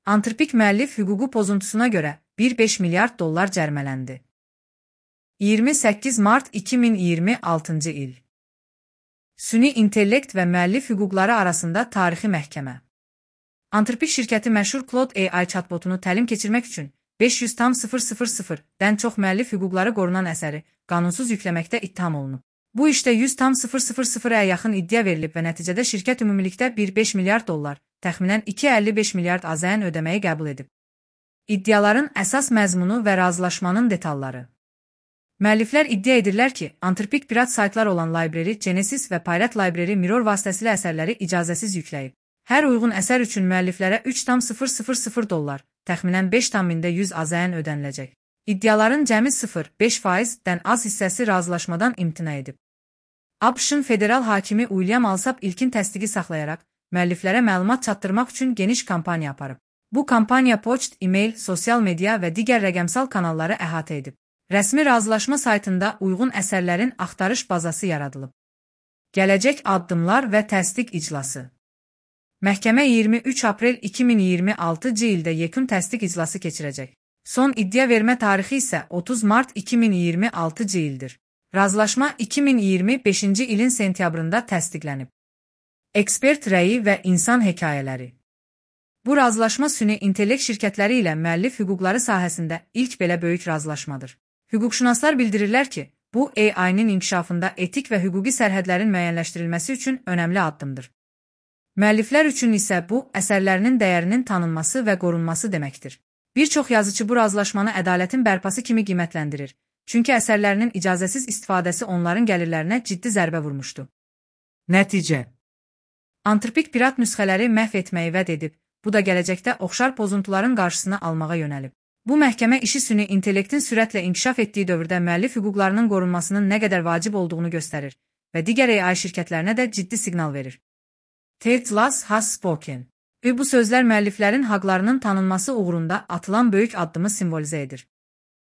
Antrpik müəllif hüququ pozuntusuna görə 1,5 milyard dollar cərmələndi. 28 mart 2026-cı il. Süni intellekt və müəllif hüquqları arasında tarixi məhkəmə. Antrpik şirkəti məşhur Claude AI chatbotunu təlim keçirmək üçün 500,000-dən çox müəllif hüquqları qorunan əsəri qanunsuz yükləməkdə ittiham olunub. Bu işdə 100,000-ə yaxın iddia verilib və nəticədə şirkət ümumilikdə 1,5 milyard dollar, təxminən 2,55 milyard AZN ödəməyi qəbul edib. İddiaların əsas məzmunu və razılaşmanın detalları. Müəlliflər iddia edirlər ki, Antrpik pirat saytlar olan Library, Genesis və Pirate Library Mirror vasitəsilə əsərləri icazəsiz yükləyib. Hər uyğun əsər üçün müəlliflərə 3,000 dollar, təxminən 5,100 AZN ödəniləcək. İddiaların cəmi 0,5%-dən az hissəsi razılaşmadan imtina edib. ABŞ-ın federal hakimi William Alsop ilkin təsdiqi saxlayaraq, müəlliflərə məlumat çatdırmaq üçün geniş kampaniya aparıb. Bu kampaniya poçt, e-mail, sosial media və digər rəqəmsal kanalları əhatə edib. Rəsmi razılaşma saytında uyğun əsərlərin axtarış bazası yaradılıb. Gələcək addımlar və təsdiq iclası. Məhkəmə 23 aprel 2026-cı ildə yekun təsdiq iclası keçirəcək. Son iddia vermə tarixi isə 30 mart 2026-cı ildir. Razılaşma 2025-ci ilin sentyabrında təsdiqlənib. Ekspert rəyi və insan hekayələri. Bu razılaşma süni intellekt şirkətləri ilə müəllif hüquqları sahəsində ilk belə böyük razılaşmadır. Hüquqşünaslar bildirirlər ki, bu AI-nin inkişafında etik və hüquqi sərhədlərin müəyyənləşdirilməsi üçün önəmli addımdır. Müəlliflər üçün isə bu, əsərlərinin dəyərinin tanınması və qorunması deməkdir. Bir çox yazıcı bu razılaşmanı ədalətin bərpası kimi qiymətləndirir, çünki əsərlərinin icazəsiz istifadəsi onların gəlirlərinə ciddi zərbə vurmuşdu. Nəticə. Antrpik pirat nüsxələri məhv etməyi vəd edib, bu da gələcəkdə oxşar pozuntuların qarşısını almağa yönəlib. Bu məhkəmə işi süni intellektin sürətlə inkişaf etdiyi dövrdə müəllif hüquqlarının qorunmasının nə qədər vacib olduğunu göstərir və digər AI şirkətlərinə də ciddi siqnal verir. Ted Lasso has spoken. Bu sözlər müəlliflərin haqlarının tanınması uğrunda atılan böyük addımı simvolizə edir.